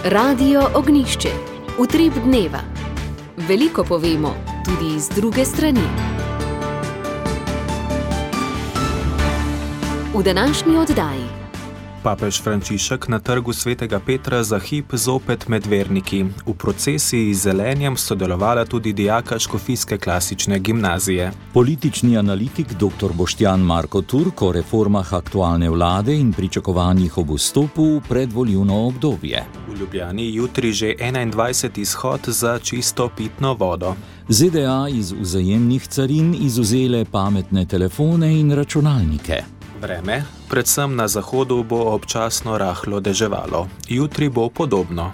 Radio Ognjišče. Utrip dneva. Veliko povemo, tudi z druge strani. V današnji oddaji. Papež Frančišek na trgu Svetega Petra za hip zopet med verniki. V procesiji z zelenjem sodelovala tudi dijaka škofijske klasične gimnazije. Politični analitik dr. Boštjan Marko Turk o reformah aktualne vlade in pričakovanjih ob vstopu v predvoljivno obdobje. V Ljubljani jutri že 21. izhod za čisto pitno vodo. ZDA iz vzajemnih carin izvzele pametne telefone in računalnike. Vreme, predvsem na zahodu, bo občasno rahlo deževalo. Jutri bo podobno.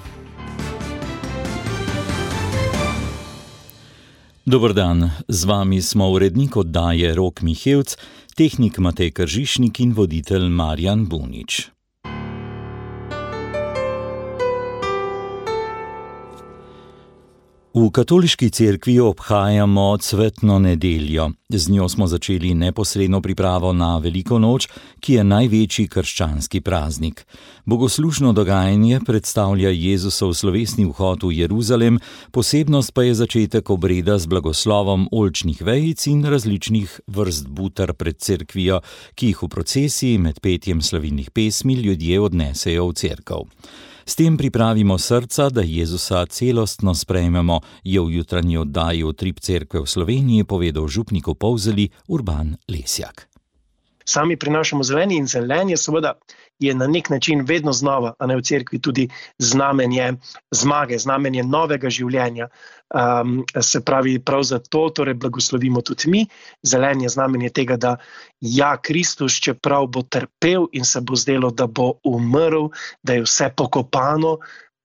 Dober dan, z vami smo urednik oddaje Rok Mihevc, tehnik Matej Kržišnik in voditelj Marjan Bunič. V katoliški cerkvi obhajamo cvetno nedeljo. Z njo smo začeli neposredno pripravo na Veliko noč, ki je največji krščanski praznik. Bogoslužno dogajanje predstavlja Jezusov slovesni vhod v Jeruzalem, posebnost pa je začetek obreda z blagoslovom oljčnih vejic in različnih vrst butar pred cerkvijo, ki jih v procesiji med petjem slavilnih pesmi ljudje odnesejo v cerkev. S tem pripravimo srca, da Jezusa celostno sprejmemo, je v jutranji oddaji Utrip cerkve v Sloveniji povedal župnik v Polzeli Urban Lesjak. Sami prinašamo zelenje in zelenje seveda je na nek način vedno znova, a ne v cerkvi, tudi znamenje zmage, znamenje novega življenja. Se pravi, prav zato torej blagoslovimo tudi mi. Zelenje znamenje tega, da Kristus, čeprav bo trpel in se bo zdelo, da bo umrl, da je vse pokopano,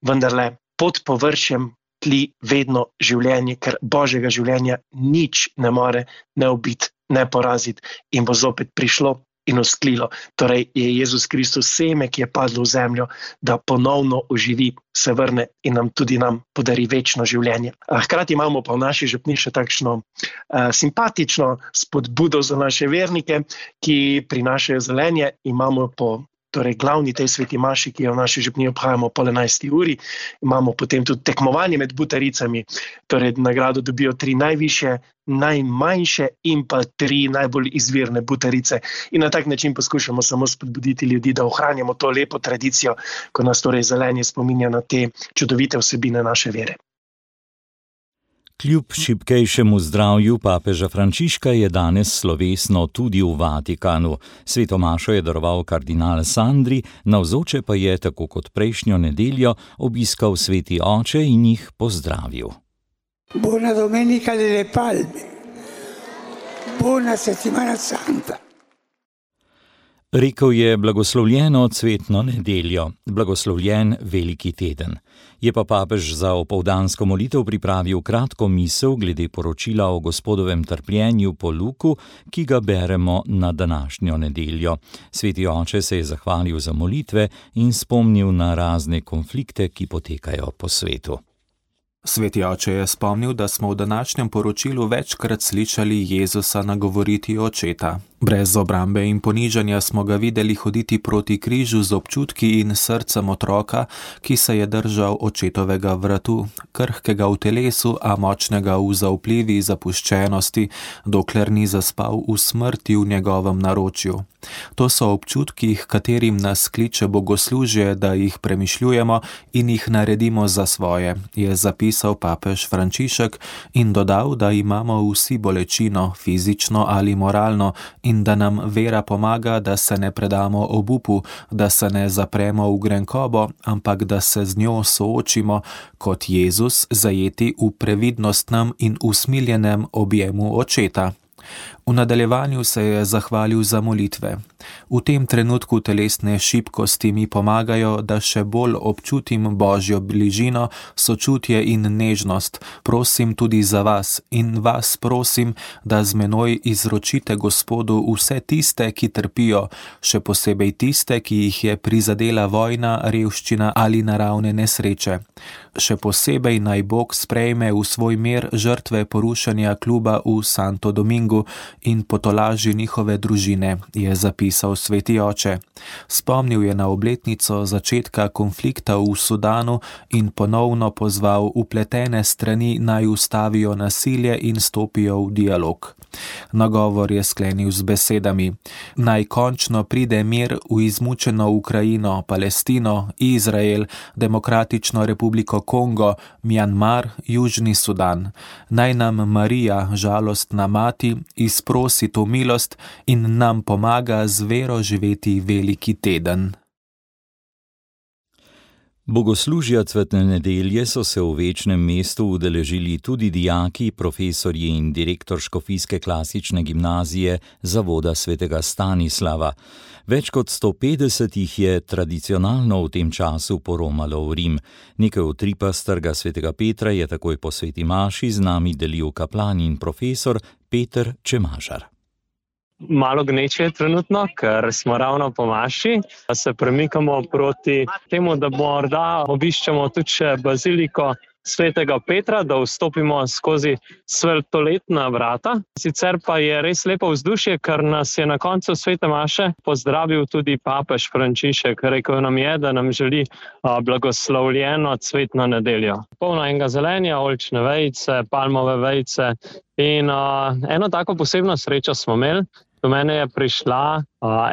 vendarle pod površjem tli vedno življenje, ker Božjega življenja nič ne more ne ubiti, ne poraziti in bo zopet prišlo in usklilo. Torej je Jezus Kristus seme, ki je padlo v zemljo, da ponovno oživi, se vrne in nam podari večno življenje. Hkrati imamo pa v naši župni še takšno simpatično spodbudo za naše vernike, ki prinašajo zelenje. Imamo po glavni tej sveti maši, ki jo v naši župni obhajamo po 11. uri, imamo potem tudi tekmovanje med butaricami, torej nagrado dobijo 3 najvišje, najmanjše in pa 3 najbolj izvirne butarice. In na tak način poskušamo samo spodbuditi ljudi, da ohranjamo to lepo tradicijo, ko nas torej zelenje spominja na te čudovite vsebine naše vere. Kljub šibkejšemu zdravju papeža Frančiška je danes slovesno tudi v Vatikanu. Sveto mašo je daroval kardinal Sandri, navzoče pa je, tako kot prejšnjo nedeljo, obiskal sveti oče in jih pozdravil. Buona domenica delle palme. Buona settimana santa. Rekel je blagoslovljeno cvetno nedeljo, blagoslovljen veliki teden. Je pa papež za opoldansko molitev pripravil kratko misel glede poročila o Gospodovem trpljenju po Luku, ki ga beremo na današnjo nedeljo. Sveti oče se je zahvalil za molitve in spomnil na razne konflikte, ki potekajo po svetu. Sveti oče je spomnil, da smo v današnjem poročilu večkrat slišali Jezusa nagovoriti očeta. Brez obrambe in ponižanja smo ga videli hoditi proti križu z občutki in srcem otroka, ki se je držal očetovega vratu, krhkega v telesu, a močnega v zaupljivi zapuščenosti, dokler ni zaspal v smrti v njegovem naročju. To so občutki, katerim nas kliče bogoslužje, da jih premišljujemo in jih naredimo za svoje, je zapisal papež Frančišek in dodal, da imamo vsi bolečino, fizično ali moralno, in da nam vera pomaga, da se ne predamo obupu, da se ne zapremo v grenkobo, ampak da se z njo soočimo kot Jezus, zajeti v previdnostnem in usmiljenem objemu očeta. V nadaljevanju se je zahvalil za molitve. V tem trenutku telesne šibkosti mi pomagajo, da še bolj občutim Božjo bližino, sočutje in nežnost. Prosim tudi za vas in vas prosim, da z menoj izročite Gospodu vse tiste, ki trpijo, še posebej tiste, ki jih je prizadela vojna, revščina ali naravne nesreče. Še posebej naj Bog sprejme v svoj mir žrtve porušenja kluba v Santo Domingu in potolaži njihove družine, je zapisal sveti oče. Spomnil je na obletnico začetka konflikta v Sudanu in ponovno pozval vpletene strani naj ustavijo nasilje in stopijo v dialog. Nagovor je sklenil z besedami: naj končno pride mir v izmučeno Ukrajino, Palestino, Izrael, Demokratično republiko Kongo, Mjanmar, Južni Sudan. Naj nam Marija, žalostna mati, izprosi to milost in nam pomaga z vero živeti veliki teden. Bogoslužja cvetne nedelje so se v Večnem mestu udeležili tudi dijaki, profesorji in direktor škofijske klasične gimnazije Zavoda svetega Stanislava. Več kot 150 jih je tradicionalno v tem času poromalo v Rim. Nekaj utripa s Trga svetega Petra je takoj po sveti maši z nami delil kaplan in profesor Peter Čemažar. Malo gneče je trenutno, ker smo ravno po maši. Se premikamo proti temu, da morda obiščemo tudi še baziliko svetega Petra, da vstopimo skozi svetloletna vrata. Sicer pa je res lepo vzdušje, ker nas je na koncu svete maše pozdravil tudi papež Frančišek. Rekel nam je, da nam želi blagoslovljeno cvetno nedeljo. Polno enega zelenja, oljčne vejice, palmove vejice in eno tako posebno srečo smo imeli. Do mene je prišla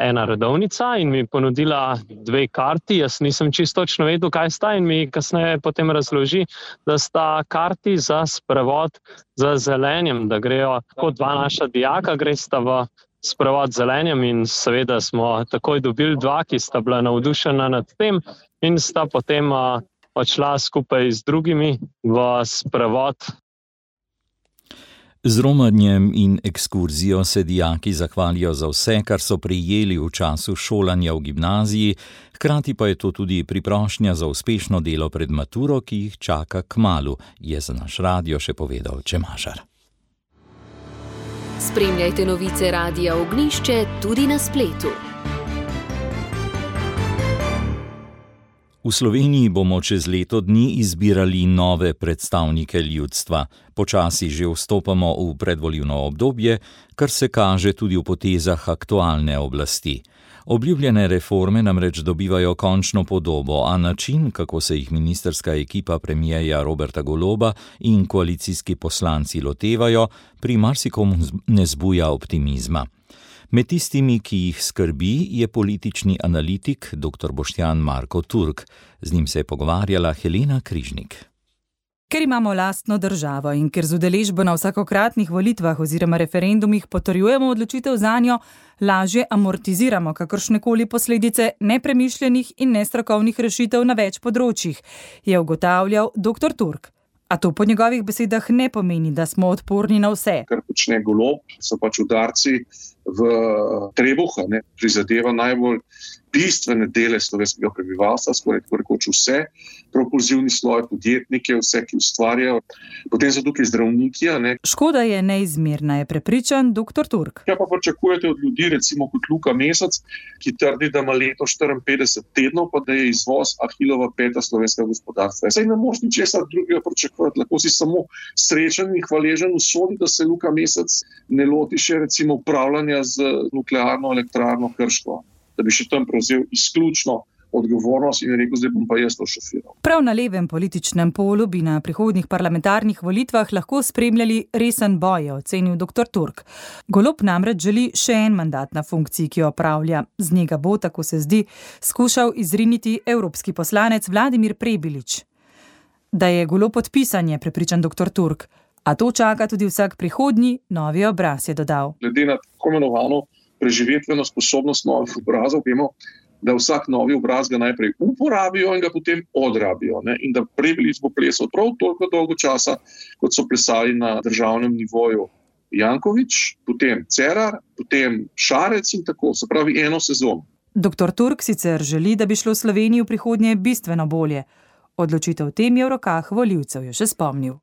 ena redovnica in mi ponudila 2 karti. Jaz nisem čisto točno vedel, kaj sta, in mi kasneje potem razloži, da sta karti za sprevod z zelenjem, da grejo kot 2 naša dijaka, gresta v sprevod z zelenjem, in seveda smo takoj dobili 2, ki sta bila navdušena nad tem in sta potem odšla skupaj z drugimi v sprevod. Z romanjem in ekskurzijo se dijaki zahvalijo za vse, kar so prejeli v času šolanja v gimnaziji, hkrati pa je to tudi priprošnja za uspešno delo pred maturo, ki jih čaka kmalu, je za naš radio še povedal Čemažar. Spremljajte novice Radia Ognjišče tudi na spletu. V Sloveniji bomo čez leto dni izbirali nove predstavnike ljudstva. Počasi že vstopamo v predvolilno obdobje, kar se kaže tudi v potezah aktualne oblasti. Obljubljene reforme namreč dobivajo končno podobo, a način, kako se jih ministrska ekipa premierja Roberta Goloba in koalicijski poslanci lotevajo, pri marsikomu ne zbuja optimizma. Med tistimi, ki jih skrbi, je politični analitik dr. Boštjan Marko Turk. Z njim se je pogovarjala Helena Križnik. Ker imamo lastno državo in ker z udeležbo na vsakokratnih volitvah oziroma referendumih potrjujemo odločitev zanjo, lažje amortiziramo kakršnekoli posledice nepremišljenih in nestrokovnih rešitev na več področjih, je ugotavljal dr. Turk. A to po njegovih besedah ne pomeni, da smo odporni na vse. Kar počne Golob, so pač udarci v trebuh, prizadeva najbolj bistvene dele slovenskega prebivalstva, skoraj tako rekoč vse, propulzivni sloj, podjetnike, vse, ki ustvarjajo. Potem so tukaj zdravniki. Škoda je neizmerna, je prepričan dr. Turk. Ja, pa pričakujete od ljudi, recimo kot Luka Mesec, ki trdi, da ima leto 54 tednov, pa da je izvoz ahilova peta slovenskega gospodarstva. Saj ne moš ničesar drugega pričakovati, lahko si samo srečen in hvaležen usodi, da se Luka Mesec ne loti še recimo upravljanja z nuklearno elektrarno Krško, da bi še tam prevzel izključno odgovornost in rekel, zdaj bom pa jaz to šofiral. Prav na levem političnem polu bi na prihodnjih parlamentarnih volitvah lahko spremljali resen boj, je ocenil dr. Turk. Golob namreč želi še en mandat na funkciji, ki jo opravlja. Z njega bo, tako se zdi, skušal izriniti evropski poslanec Vladimir Prebilič. Da je Golob podpisan, je prepričan dr. Turk. A to čaka tudi vsak prihodnji novi obraz, je dodal. Glede na tako imenovano preživetveno sposobnost novih obrazov, vemo, da vsak novi obraz ga najprej uporabijo in ga potem odrabijo. In da Prebilič bo plesal prav toliko dolgo časa, kot so plesali na državnem nivoju Janković, potem Cerar, potem Šarec in tako, se pravi eno sezono. Dr. Turk sicer želi, da bi šlo Sloveniji v prihodnje bistveno bolje. Odločitev tem je v rokah volivcev, je še spomnil.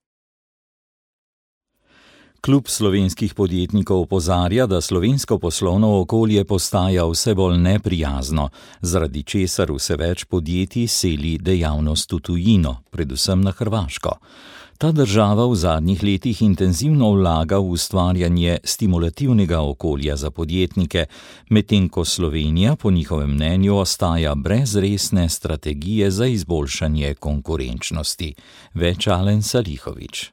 Klub slovenskih podjetnikov opozarja, da slovensko poslovno okolje postaja vse bolj neprijazno, zaradi česar vse več podjetij seli dejavnost v tujino, predvsem na Hrvaško. Ta država v zadnjih letih intenzivno vlaga v ustvarjanje stimulativnega okolja za podjetnike, medtem ko Slovenija po njihovem mnenju ostaja brez resne strategije za izboljšanje konkurenčnosti. Več Alen Salihović.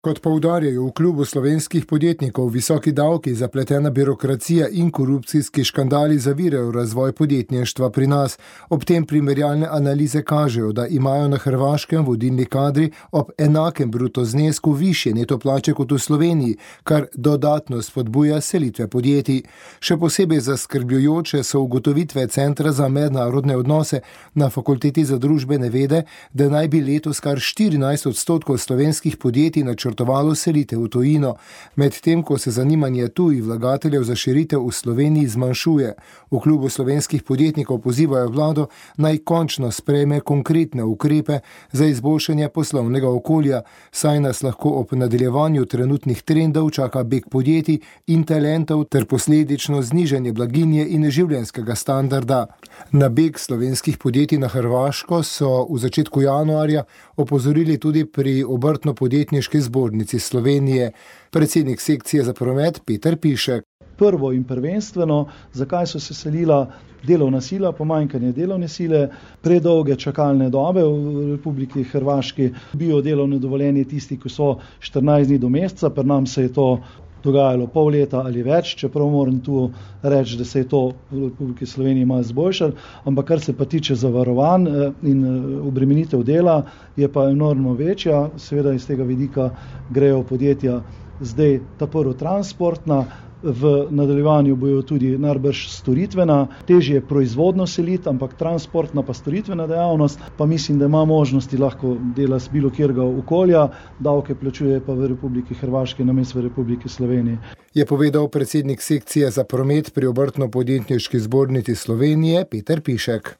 Kot poudarjajo v klubu slovenskih podjetnikov, visoki davki, zapletena birokracija in korupcijski škandali zavirajo razvoj podjetništva pri nas. Ob tem primerjalne analize kažejo, da imajo na Hrvaškem vodilni kadri ob enakem bruto znesku višje neto plače kot v Sloveniji, kar dodatno spodbuja selitve podjetij. Še posebej zaskrbljujoče so ugotovitve Centra za mednarodne odnose na Fakulteti za družbene vede, da naj bi letos kar 14% slovenskih podjetij načrtovalo selitev v tujino, medtem ko se zanimanje tujih vlagateljev za širitev v Sloveniji zmanjšuje. V klubu slovenskih podjetnikov pozivajo vlado, naj končno sprejme konkretne ukrepe za izboljšanje poslovnega okolja, saj nas lahko ob nadaljevanju trenutnih trendov čaka beg podjetij in talentov ter posledično znižanje blaginje in življenjskega standarda. Na beg slovenskih podjetij na Hrvaško so v začetku januarja opozorili tudi pri Obrtno-podjetniški zbornici Slovenije. Predsednik sekcije za promet Peter Pišek. Prvo in prvenstveno, zakaj so se selila delovna sila, pomanjkanje delovne sile, predolge čakalne dobe v Republiki Hrvaški, biodelovne dovoljenje tisti, ki so 14 dni do meseca, pri nam se je to dogajalo pol leta ali več, čeprav moram tu reči, da se je to v Republiki Sloveniji malo izboljšalo, ampak kar se pa tiče zavarovanj in obremenitev dela, je pa enormno večja. Seveda iz tega vidika grejo podjetja zdaj ta prvo transportna, v nadaljevanju bojo tudi najbrž storitvena, težje je proizvodno seliti, ampak transportna pa storitvena dejavnost, pa mislim, da ima možnosti lahko dela z bilo kjerga okolja, davke plačuje pa v Republiki Hrvaški namesto v Republiki Sloveniji. Je povedal predsednik sekcije za promet pri Obrtno-podjetniški zbornici Slovenije Peter Pišek.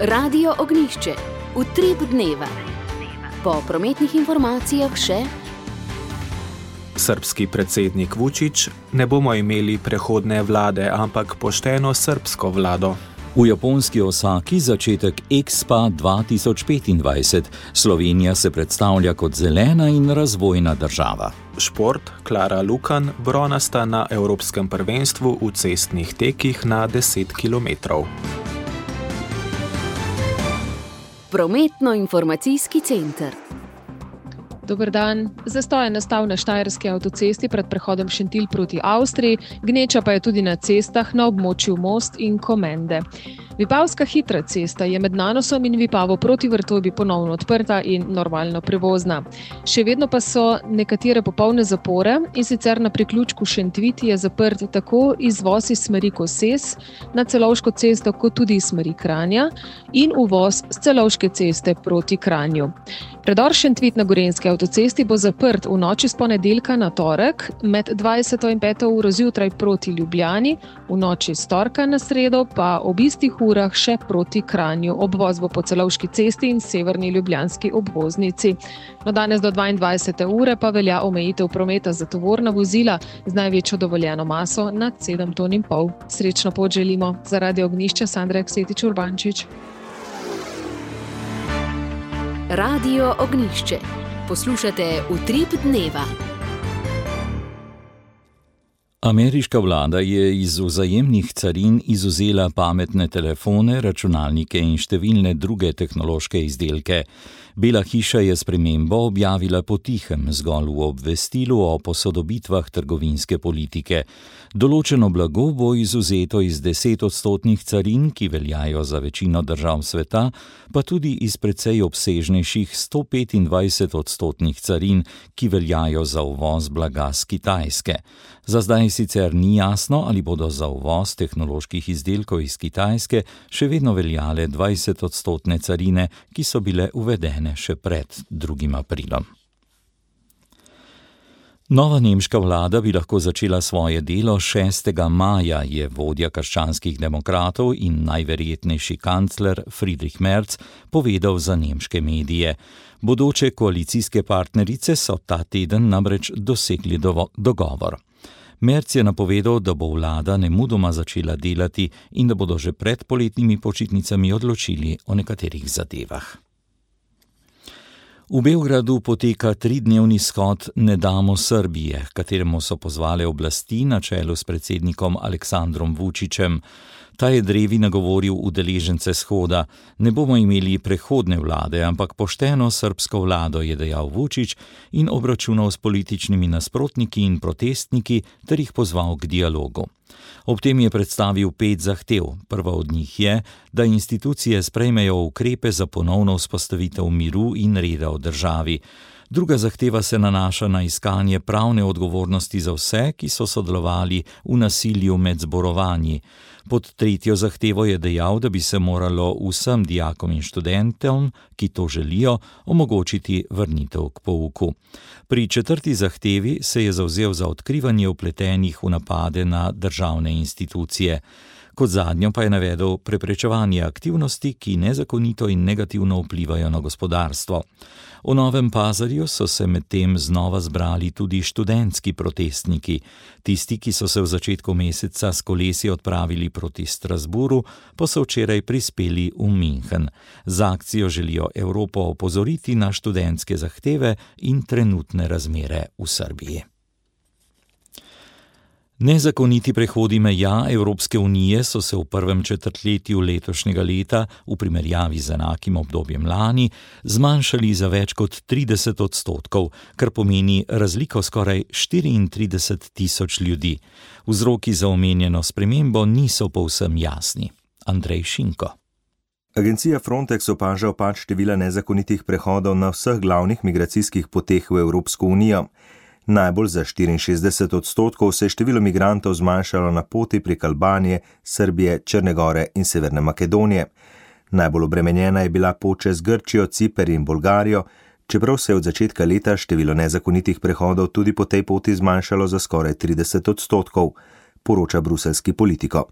Radio Ognjišče. Utrip dneva. Po prometnih informacijah še Srbski predsednik Vučić: ne bomo imeli prehodne vlade, ampak pošteno srbsko vlado. V japonski Osaki začetek Expa 2025. Slovenija se predstavlja kot zelena in razvojna država. Šport, Klara Lukan, bronasta na Evropskem prvenstvu v cestnih tekih na 10 km. Prometno-informacijski center. Dober dan. Zastoj je nastal na Štajerski avtocesti pred prehodom Šentilj proti Avstriji, gneča pa je tudi na cestah na območju Most in Komende. Vipavska hitra cesta je med Nanosom in Vipavo proti Vrtojbi ponovno odprta in normalno prevozna. Še vedno pa so nekatere popolne zapore, in sicer na priključku Šentviti je zaprt tako izvoz iz smeri Koses na Celovško cesto kot tudi iz smeri Kranja in uvoz z Celovške ceste proti Kranju. Predor Šentvit na Gorenjski avtocesti bo zaprt v noči s ponedeljka na torek med 20. in 5. uro zjutraj proti Ljubljani, v noči s torka na sredo pa ob istih urah še proti Kranju. Obvoz bo po Celovški cesti in severni ljubljanski obvoznici. No, danes do 22. ure pa velja omejitev prometa za tovorna vozila z največjo dovoljeno maso nad 7,5 ton. Srečno pot želimo. Za Radio Ognjišče Sandra Aksetič Urbančič. Radio Ognjišče. Poslušate Utrip dneva. Ameriška vlada je iz vzajemnih carin izvzela pametne telefone, računalnike in številne druge tehnološke izdelke. Bela hiša je spremembo objavila potihem, zgolj v obvestilu o posodobitvah trgovinske politike. Določeno blago bo izvzeto iz 10% carin, ki veljajo za večino držav sveta, pa tudi iz precej obsežnejših 125% carin, ki veljajo za uvoz blaga z Kitajske. Za zdaj sicer ni jasno, ali bodo za uvoz tehnoloških izdelkov iz Kitajske še vedno veljale 20% carine, ki so bile uvedene še pred 2. aprilom. Nova nemška vlada bi lahko začela svoje delo 6. maja, je vodja krščanskih demokratov in najverjetnejši kancler Friedrich Merz povedal za nemške medije. Bodoče koalicijske partnerice so ta teden namreč dosegli dogovor. Merz je napovedal, da bo vlada nemudoma začela delati in da bodo že pred poletnimi počitnicami odločili o nekaterih zadevah. V Beogradu poteka 3-dnevni shod Ne damo Srbije, kateremu so pozvale oblasti na čelu s predsednikom Aleksandrom Vučićem. Ta je drevi nagovoril udeležence shoda: ne bomo imeli prehodne vlade, ampak pošteno srbsko vlado, je dejal Vučić in obračunal s političnimi nasprotniki in protestniki ter jih pozval k dialogu. Ob tem je predstavil 5 zahtev. Prva od njih je, da institucije sprejmejo ukrepe za ponovno vzpostavitev miru in reda v državi. Druga zahteva se nanaša na iskanje pravne odgovornosti za vse, ki so sodelovali v nasilju med zborovanji. Pod tretjo zahtevo je dejal, da bi se moralo vsem dijakom in študentom, ki to želijo, omogočiti vrnitev k pouku. Pri četrti zahtevi se je zavzel za odkrivanje vpletenih v napade na državne institucije. Kot zadnjo pa je navedel preprečevanje aktivnosti, ki nezakonito in negativno vplivajo na gospodarstvo. V Novem Pazarju so se medtem znova zbrali tudi študentski protestniki. Tisti, ki so se v začetku meseca s kolesi odpravili proti Strasburu, pa so včeraj prispeli v München. Z akcijo želijo Evropo opozoriti na študentske zahteve in trenutne razmere v Srbiji. Nezakoniti prehodi meja Evropske unije so se v prvem četrtletju letošnjega leta v primerjavi z enakim obdobjem lani zmanjšali za več kot 30%, kar pomeni razliko skoraj 34.000 ljudi. Vzroki za omenjeno spremembo niso povsem jasni. Andrej Šinko. Agencija Frontex opaža upad števila nezakonitih prehodov na vseh glavnih migracijskih poteh v Evropsko unijo. Najbolj za 64% se je število migrantov zmanjšalo na poti prek Albanije, Srbije, Črne gore in Severne Makedonije. Najbolj obremenjena je bila pot čez Grčijo, Ciper in Bolgarijo, čeprav se je od začetka leta število nezakonitih prehodov tudi po tej poti zmanjšalo za skoraj 30%, poroča bruseljski Politico.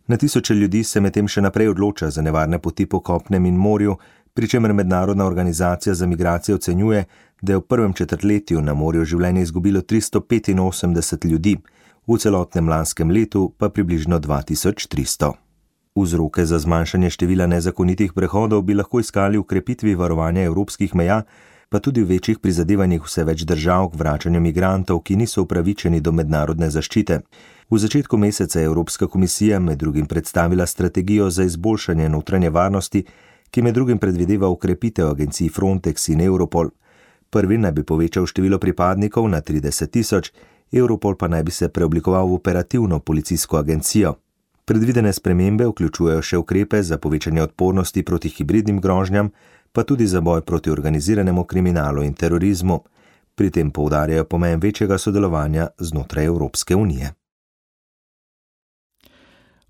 Na tisoče ljudi se medtem še naprej odloča za nevarne poti po kopnem in morju, pri čemer Mednarodna organizacija za migracije ocenjuje, da je v prvem četrtletju na morju življenje izgubilo 385 ljudi, v celotnem lanskem letu pa približno 2300. Vzroke za zmanjšanje števila nezakonitih prehodov bi lahko iskali v krepitvi varovanja evropskih meja, pa tudi v večjih prizadevanjih vse več držav k vračanju migrantov, ki niso upravičeni do mednarodne zaščite. V začetku meseca je Evropska komisija med drugim predstavila strategijo za izboljšanje notranje varnosti, ki med drugim predvideva ukrepitev agencij Frontex in Europol. Prvi naj bi povečal število pripadnikov na 30.000, Europol pa naj bi se preoblikoval v operativno policijsko agencijo. Predvidene spremembe vključujejo še ukrepe za povečanje odpornosti proti hibridnim grožnjam, pa tudi za boj proti organiziranemu kriminalu in terorizmu. Pri tem poudarjajo pomen večjega sodelovanja znotraj Evropske unije.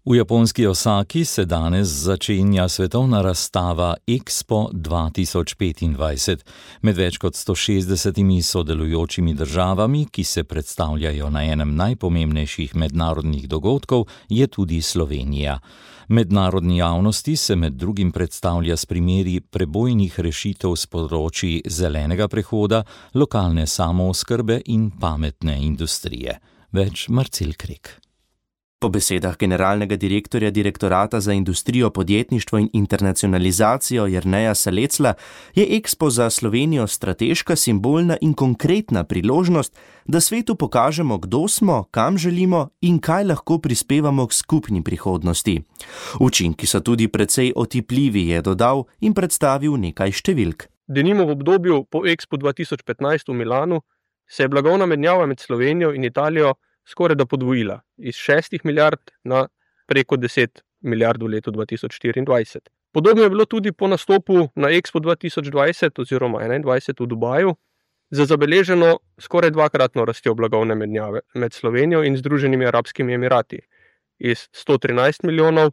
V japonski Osaki se danes začenja svetovna razstava Expo 2025. Med več kot 160 sodelujočimi državami, ki se predstavljajo na enem najpomembnejših mednarodnih dogodkov, je tudi Slovenija. Mednarodni javnosti se med drugim predstavlja s primeri prebojnih rešitev s področji zelenega prehoda, lokalne samooskrbe in pametne industrije. Več Marcel Krek. Po besedah generalnega direktorja Direktorata za industrijo, podjetništvo in internacionalizacijo Jerneja Salecla je Expo za Slovenijo strateška, simbolna in konkretna priložnost, da svetu pokažemo, kdo smo, kam želimo in kaj lahko prispevamo k skupni prihodnosti. Učinki so tudi precej otipljivi, je dodal in predstavil nekaj številk. Denimo v obdobju po Expo 2015 v Milanu se je blagovna menjava med Slovenijo in Italijo skoraj da podvojila, iz 6 milijard na preko 10 milijard v letu 2024. Podobno je bilo tudi po nastopu na Expo 2020 oziroma 2021 v Dubaju, za zabeleženo skoraj dvakratno rastjo blagovne menjave med Slovenijo in Združenimi arabskimi emirati, iz 113 milijonov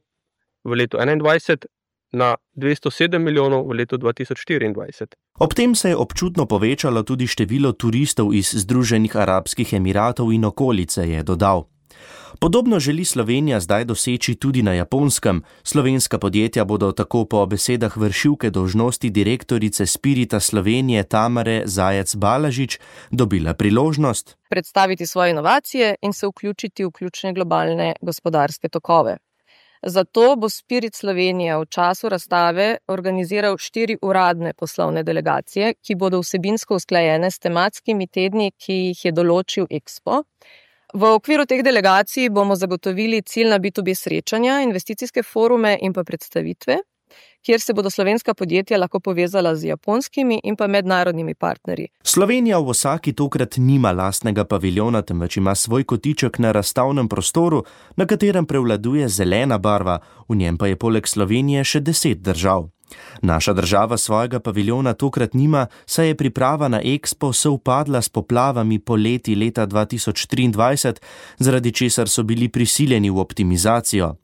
v letu 2021 na 207 milijonov v letu 2024. Ob tem se je občutno povečalo tudi število turistov iz Združenih arabskih emiratov in okolice, je dodal. Podobno želi Slovenija zdaj doseči tudi na Japonskem. Slovenska podjetja bodo tako po besedah vršilke dolžnosti direktorice Spirita Slovenije Tamare Zajec-Balažič dobila priložnost predstaviti svoje inovacije in se vključiti v ključne globalne gospodarske tokove. Zato bo Spirit Slovenija v času razstave organiziral 4 uradne poslovne delegacije, ki bodo vsebinsko usklajene s tematskimi tedni, ki jih je določil Expo. V okviru teh delegacij bomo zagotovili ciljna B2B srečanja, investicijske forume in pa predstavitve, kjer se bodo slovenska podjetja lahko povezala z japonskimi in pa mednarodnimi partnerji. Slovenija v Osaki tokrat nima lastnega paviljona, temveč ima svoj kotiček na razstavnem prostoru, na katerem prevladuje zelena barva, v njem pa je poleg Slovenije še 10 držav. Naša država svojega paviljona tokrat nima, saj je priprava na Expo sovpadla s poplavami poleti leta 2023, zaradi česar so bili prisiljeni v optimizacijo.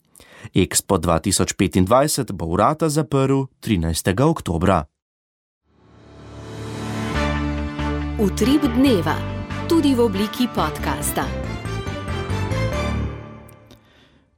Expo 2025 bo vrata zaprl 13. oktobra. Utrip dneva, tudi v obliki podcasta.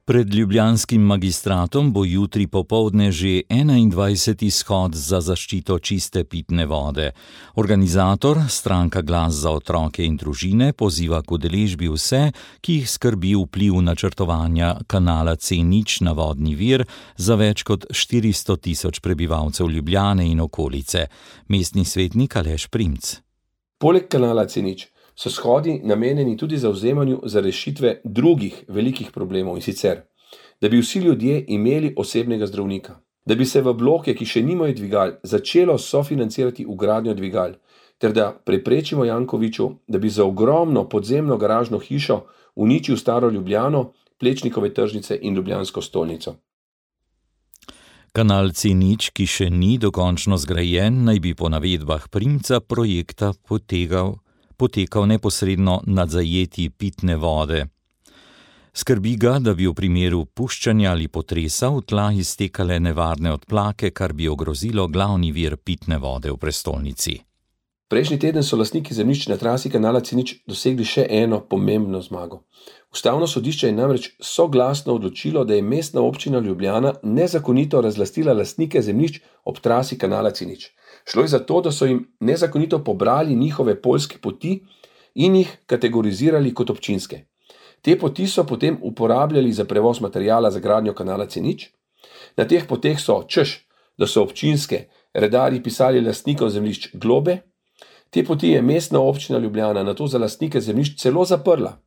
Pred ljubljanskim magistratom bo jutri popoldne že 21. shod za zaščito čiste pitne vode. Organizator, stranka Glas za otroke in družine, poziva k udeležbi vse, ki jih skrbi vpliv načrtovanja kanala C0 na vodni vir za več kot 400 000 prebivalcev Ljubljane in okolice. Mestni svetnik Aleš Primc. Poleg kanala C0 so shodi namenjeni tudi zavzemanju za rešitve drugih velikih problemov, in sicer, da bi vsi ljudje imeli osebnega zdravnika, da bi se v bloke, ki še nimajo dvigal, začelo sofinancirati vgradnjo dvigal, ter da preprečimo Jankoviću, da bi za ogromno podzemno garažno hišo uničil staro Ljubljano, Plečnikove tržnice in Ljubljansko stolnico. Kanal C0, ki še ni dokončno zgrajen, naj bi po navedbah Primca projekta potekal neposredno nad zajetji pitne vode. Skrbi ga, da bi v primeru puščanja ali potresa v tla iztekale nevarne odplake, kar bi ogrozilo glavni vir pitne vode v prestolnici. Prejšnji teden so lastniki zemljišč na trasi kanala C0 dosegli še eno pomembno zmago. Ustavno sodišče je namreč soglasno odločilo, da je mestna občina Ljubljana nezakonito razlastila lastnike zemljišč ob trasi kanala C0. Šlo je za to, da so jim nezakonito pobrali njihove poljske poti in jih kategorizirali kot občinske. Te poti so potem uporabljali za prevoz materijala za gradnjo kanala C0. Na teh poteh so, češ, da so občinske, redarji pisali lastnikom zemljišč globe. Te poti je mestna občina Ljubljana nato za lastnike zemljišč celo zaprla.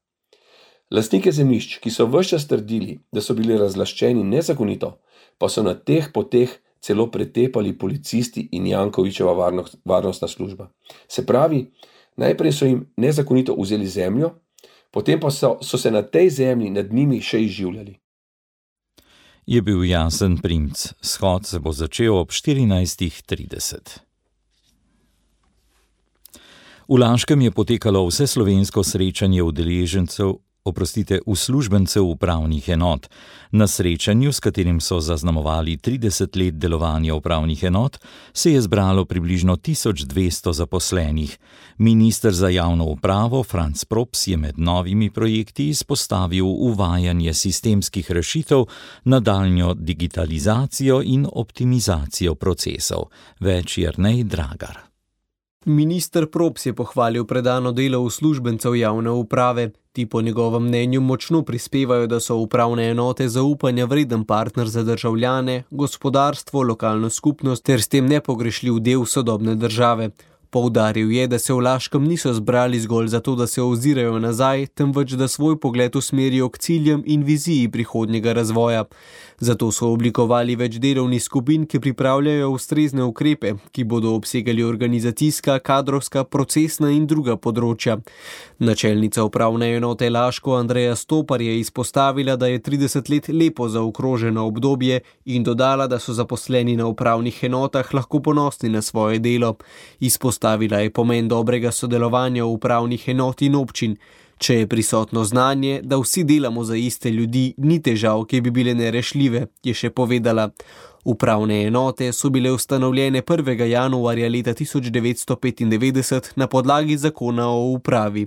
Lastnike zemljišč, ki so ves čas trdili, da so bili razlaščeni nezakonito, pa so na teh poteh celo pretepali policisti in Jankovićeva varnostna služba. Se pravi, najprej so jim nezakonito vzeli zemljo, potem pa so se na tej zemlji nad njimi še izživljali. Je bil Jasen Primc. Shod se bo začel ob 14:30. V Laškem je potekalo vseslovensko srečanje uslužbencev upravnih enot. Na srečanju, s katerim so zaznamovali 30 let delovanja upravnih enot, se je zbralo približno 1200 zaposlenih. Minister za javno upravo Franc Props je med novimi projekti izpostavil uvajanje sistemskih rešitev, nadaljnjo digitalizacijo in optimizacijo procesov. Več Jernej Dragar. Minister Props je pohvalil predano delo uslužbencev javne uprave. Ti po njegovem mnenju močno prispevajo, da so upravne enote zaupanja vreden partner za državljane, gospodarstvo, lokalno skupnost ter s tem nepogrešljiv del sodobne države. Poudaril je, da se v Laškem niso zbrali zgolj zato, da se ozirajo nazaj, temveč da svoj pogled usmerijo k ciljem in viziji prihodnjega razvoja. Zato so oblikovali več delovnih skupin, ki pripravljajo ustrezne ukrepe, ki bodo obsegali organizacijska, kadrovska, procesna in druga področja. Načelnica upravne enote Laško Andreja Stopar je izpostavila, da je 30 let lepo zaokroženo obdobje in dodala, da so zaposleni na upravnih enotah lahko ponosni na svoje delo. Izpostavila je pomen dobrega sodelovanja v upravnih enot in občin. Če je prisotno znanje, da vsi delamo za iste ljudi, ni težav, ki bi bile nerešljive, je še povedala. Upravne enote so bile ustanovljene 1. januarja leta 1995 na podlagi zakona o upravi.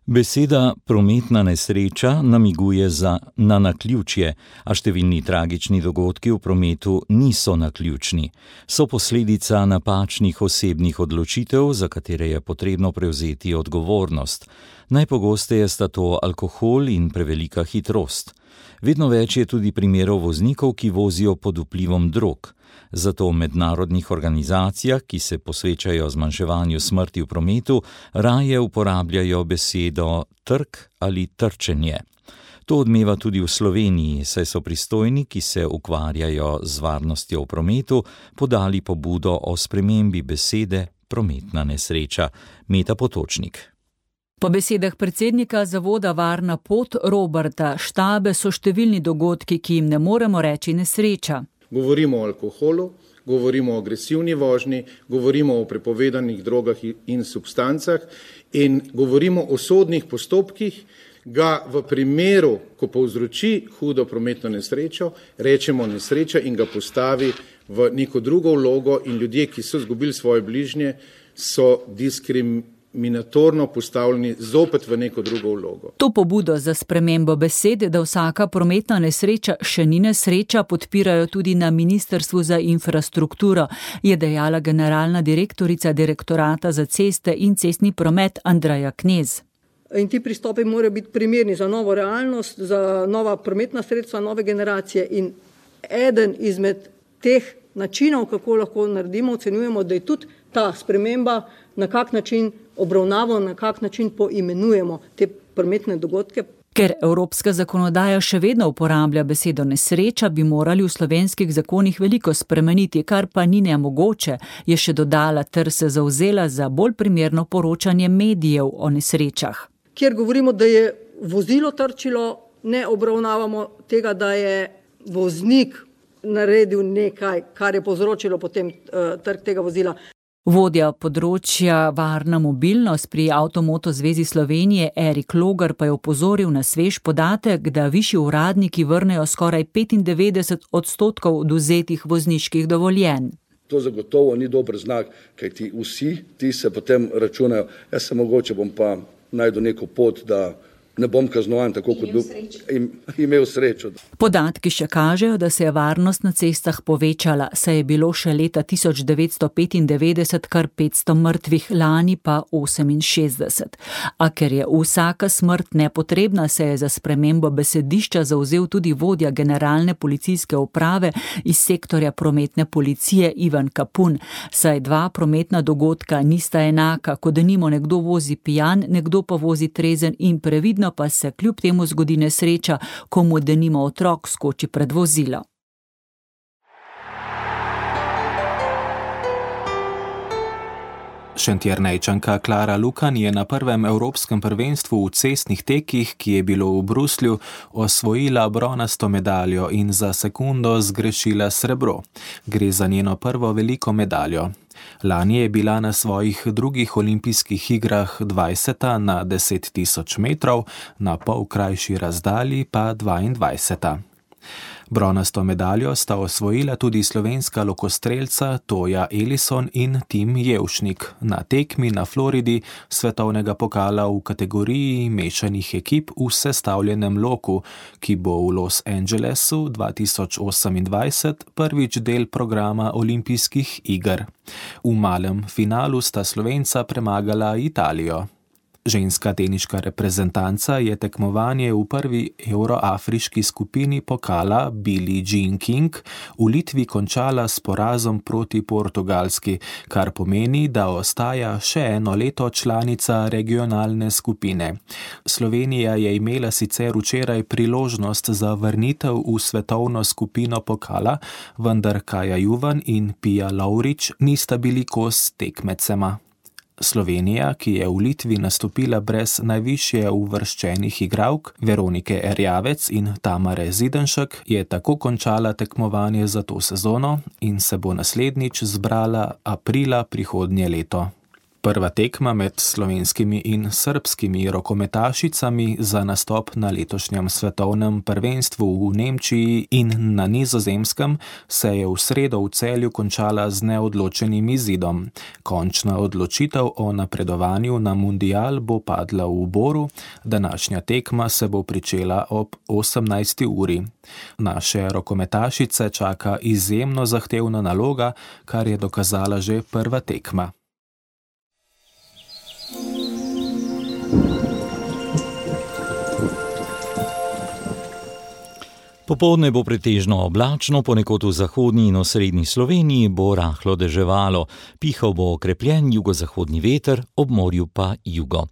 Beseda prometna nesreča namiguje na naključje, a številni tragični dogodki v prometu niso naključni. So posledica napačnih osebnih odločitev, za katere je potrebno prevzeti odgovornost. Najpogosteje sta to alkohol in prevelika hitrost. Vedno več je tudi primerov voznikov, ki vozijo pod vplivom drog. Zato v mednarodnih organizacijah, ki se posvečajo zmanjševanju smrti v prometu, raje uporabljajo besedo trk ali trčenje. To odmeva tudi v Sloveniji, saj so pristojni, ki se ukvarjajo z varnostjo v prometu, podali pobudo o spremembi besede prometna nesreča. Meta Potočnik. Po besedah predsednika zavoda Varna pot Roberta Štabe so številni dogodki, ki jim ne moremo reči nesreča. Govorimo o alkoholu, govorimo o agresivni vožnji, govorimo o prepovedanih drogah in substancah in govorimo o sodnih postopkih, ga v primeru, ko povzroči hudo prometno nesrečo, rečemo nesreča in ga postavi v neko drugo vlogo in ljudje, ki so izgubili svoje bližnje, so diskriminatorno postavljeni zopet v neko drugo vlogo. To pobudo za spremembo besede, da vsaka prometna nesreča še ni nesreča, podpirajo tudi na Ministrstvu za infrastrukturo, je dejala generalna direktorica Direktorata za ceste in cestni promet Andreja Knez. In ti pristopi morajo biti primerni za novo realnost, za nova prometna sredstva, nove generacije in eden izmed teh načinov, kako lahko naredimo, ocenjujemo, da je tudi ta sprememba, na kak način obravnavamo, na kak način poimenujemo te prometne dogodke. Ker evropska zakonodaja še vedno uporablja besedo nesreča, bi morali v slovenskih zakonih veliko spremeniti, kar pa ni nemogoče, je še dodala ter se zavzela za bolj primerno poročanje medijev o nesrečah. Kjer govorimo, da je vozilo trčilo, ne obravnavamo tega, da je voznik naredil nekaj, kar je povzročilo potem trk tega vozila. Vodja področja varna mobilnost pri Avtomoto zvezi Slovenije Erik Logar pa je opozoril na svež podatek, da višji uradniki vrnejo skoraj 95% odvzetih vozniških dovoljenj. To zagotovo ni dober znak, kajti vsi ti se potem računajo, jaz se mogoče bom pa najdu neko pot, da ne bom kaznovan tako, kot bi imel srečo. Podatki še kažejo, da se je varnost na cestah povečala, saj je bilo še leta 1995 kar 500 mrtvih, lani pa 68. A ker je vsaka smrt nepotrebna, se je za spremembo besedišča zavzel tudi vodja generalne policijske uprave iz sektorja prometne policije Ivan Kapun, saj dva prometna dogodka nista enaka, kot denimo nekdo vozi pijan, nekdo pa vozi trezen in previdno, pa se kljub temu zgodi nesreča, ko mu denimo otrok skoči pred vozilo. Šentjernejčanka Klara Lukan je na prvem evropskem prvenstvu v cestnih tekih, ki je bilo v Bruslju, osvojila bronasto medaljo in za sekundo zgrešila srebro. Gre za njeno prvo veliko medaljo. Lani je bila na svojih drugih olimpijskih igrah 20. na 10.000 metrov, na pol krajši razdalji pa 22. Bronasto medaljo sta osvojila tudi slovenska lokostrelca Toja Elison in Tim Jevšnik na tekmi na Floridi svetovnega pokala v kategoriji mešanih ekip v sestavljenem loku, ki bo v Los Angelesu 2028 prvič del programa olimpijskih iger. V malem finalu sta Slovenca premagala Italijo. Ženska teniška reprezentanca je tekmovanje v prvi euroafriški skupini pokala Billie Jean King v Litvi končala s porazom proti Portugalski, kar pomeni, da ostaja še eno leto članica regionalne skupine. Slovenija je imela sicer včeraj priložnost za vrnitev v svetovno skupino pokala, vendar Kaja Juvan in Pia Lovrič nista bili kos tekmecema. Slovenija, ki je v Litvi nastopila brez najvišje uvrščenih igralk Veronike Erjavec in Tamare Zidenšek, je tako končala tekmovanje za to sezono in se bo naslednjič zbrala aprila prihodnje leto. Prva tekma med slovenskimi in srbskimi rokometašicami za nastop na letošnjem svetovnem prvenstvu v Nemčiji in na Nizozemskem se je v sredo v Celju končala z neodločenim izidom. Končna odločitev o napredovanju na mundial bo padla v Boru, današnja tekma se bo pričela ob 18. uri. Naše rokometašice čaka izjemno zahtevna naloga, kar je dokazala že prva tekma. Popoldne bo pretežno oblačno, ponekod v zahodni in osrednji Sloveniji bo rahlo deževalo. Pihal bo okrepljen jugozahodni veter, ob morju pa jugo.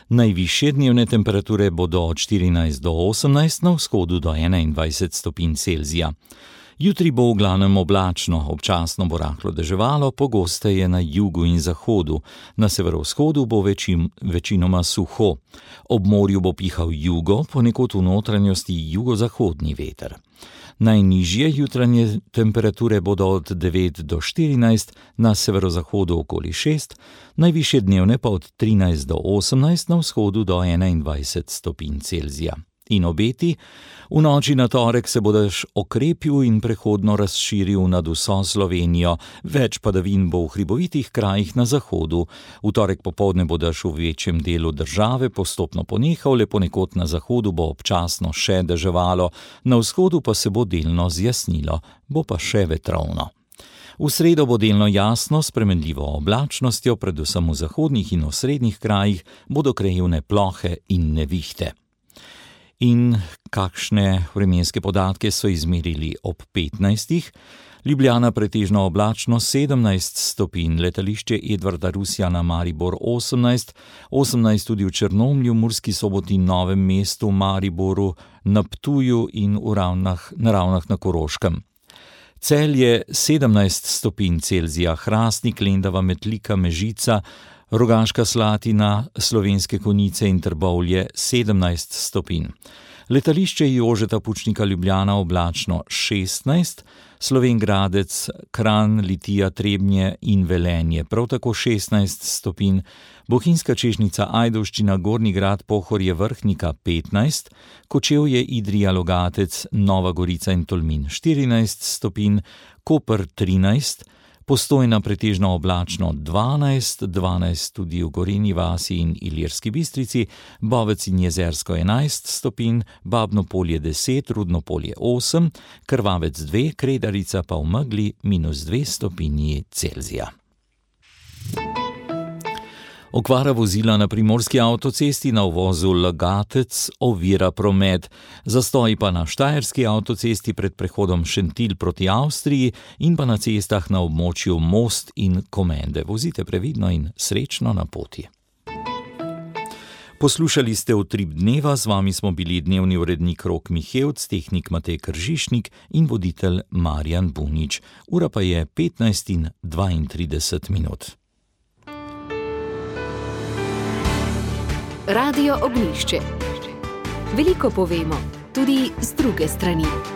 Najvišje dnevne temperature bodo od 14 do 18, na vzhodu do 21 stopinj Celzija. Jutri bo v glavnem oblačno, občasno bo rahlo deževalo, pogosteje na jugu in zahodu. Na severovzhodu bo večinoma suho. Ob morju bo pihal jugo, ponekod v notranjosti jugozahodni veter. Najnižje jutranje temperature bodo od 9 do 14, na severozahodu okoli 6, najvišje dnevne pa od 13 do 18, na vzhodu do 21 stopinj Celzija. In obeti, v noči na torek se bo dež okrepil in prehodno razširil nad vso Slovenijo, več padavin bo v hribovitih krajih na zahodu. V torek popoldne bo dež v večjem delu države postopno ponehal, le ponekod na zahodu bo občasno še deževalo, na vzhodu pa se bo delno zjasnilo, bo pa še vetrovno. V sredo bo delno jasno, s spremenljivo oblačnostjo, predvsem v zahodnih in osrednjih krajih bodo krajevne plohe in nevihte. In kakšne vremenske podatke so izmerili ob 15. Ljubljana pretežno oblačno 17 stopinj, letališče Edvarda Rusjana Maribor 18, 18 tudi v Črnomlju, Murski Soboti, Novem mestu, Mariboru, na Ptuju in na Ravnah na Koroškem. Celje 17 stopinj Celzija, Hrastnik, Lendava, Metlika, Mežica, Rogaška Slatina, Slovenske Konjice in Trbovlje 17 stopinj. Letališče Jožeta Pučnika Ljubljana oblačno 16, Slovenj Gradec, Kranj, Litija, Trebnje in Velenje prav tako 16 stopinj, Bohinjska Češnjica, Ajdovščina, Gornji Grad, Pohorje, Vrhnika 15, Kočevje, Idrija, Logatec, Nova Gorica in Tolmin 14 stopinj, Koper 13, Postojna pretežno oblačno 12, 12 tudi v Gorenji vasi in Ilirski Bistrici, Bovec in Jezersko 11 stopinj, Babno Polje 10, Rudno Polje 8, Krvavec 2, Kredarica pa v megli -2 stopinji Celzija. Okvara vozila na primorski avtocesti na uvozu Logatec ovira promet, zastoji pa na štajerski avtocesti pred prehodom Šentilj proti Avstriji in pa na cestah na območju Most in Komende. Vozite previdno in srečno na poti. Poslušali ste Utrip dneva, z vami smo bili dnevni urednik Rok Mihevc, tehnik Matej Kržišnik in voditelj Marjan Bunič. Ura pa je 15:32. Radio Ognjišče. Veliko povemo, tudi z druge strani.